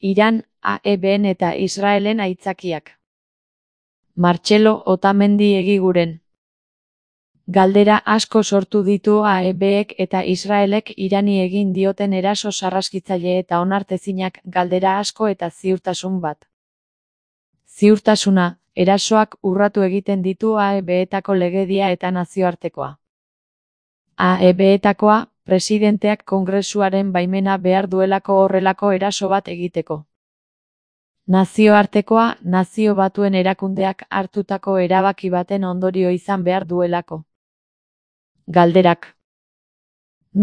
Iran, AEBn eta Israelen aitzakiak. Martxelo Otamendi Egiguren. Galdera asko sortu ditu AEBek eta Israelek Irani egin dioten eraso sarraskitzaile eta onartezinak galdera asko eta ziurtasun bat. Ziurtasuna, erasoak urratu egiten ditu AEBetako legedia eta nazioartekoa. AEBetakoa, presidenteak Kongresuaren baimena behar duelako horrelako eraso bat egiteko. Nazioartekoa, Nazio Batuen erakundeak hartutako erabaki baten ondorio izan behar duelako. Galderak.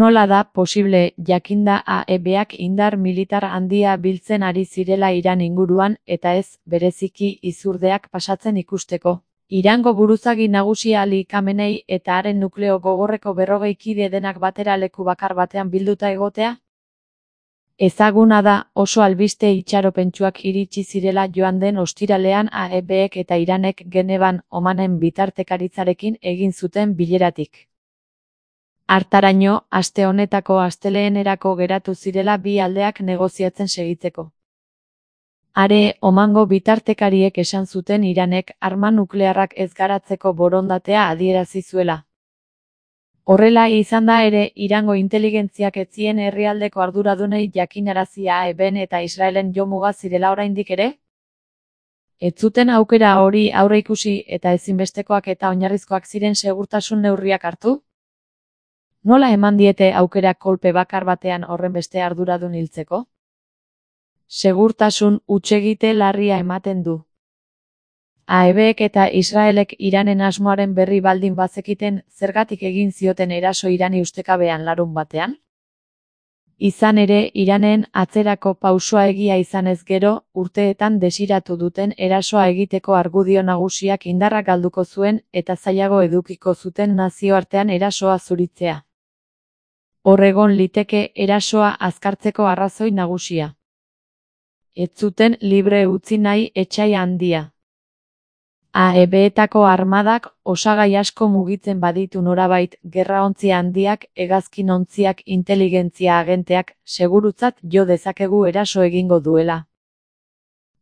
Nola da posible jakinda AEBak indar militar handia biltzen ari zirela Iran inguruan eta ez, bereziki izurdeak pasatzen ikusteko? Irango buruzagi nagusia Ali Khamenei eta haren nukleo gogorreko 40 kide denak batera leku bakar batean bilduta egotea? Ezaguna da oso albiste itxaropentsuak iritsi zirela joan den ostiralean AEBek eta Iranek Genevan Omanen bitartekaritzarekin egin zuten bileratik. Hartaraino, aste honetako astelehenerako geratu zirela bi aldeak negoziatzen segitzeko. Are, Omango bitartekariek esan zuten Iranek arma nuklearrak ez garatzeko borondatea adierazi zuela. Horrela izan da ere, Irango inteligentziak ez zien herrialdeko arduradunei jakinarazi AEBn eta Israelen jomuga zirela oraindik ere? Ez zuten aukera hori aurreikusi eta ezinbestekoak eta oinarrizkoak ziren segurtasun neurriak hartu? Nola eman diete aukera kolpe bakar batean horrenbeste arduradun hiltzeko? Segurtasun hutsegite larria ematen du. AEBek eta Israelek Iranen asmoaren berri baldin bazekiten zergatik egin zioten eraso Irani ustekabean larunbatean? Izan ere, Iranen atzerako pausoa egia izanez gero, urteetan desiratu duten erasoa egiteko argudio nagusiak indarra galduko zuen eta zailago edukiko zuten nazioartean erasoa zuritzea. Hor egon liteke erasoa azkartzeko arrazoi nagusia. Ez zuten libre utzi nahi etsai handia. AEBetako armadak osagai asko mugitzen baditu norabait, gerraontzi handiak, hegazkinontziak, inteligentzia agenteak, segurutzat jo dezakegu eraso egingo duela.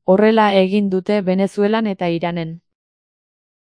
Horrela egin dute Venezuelan eta Iranen.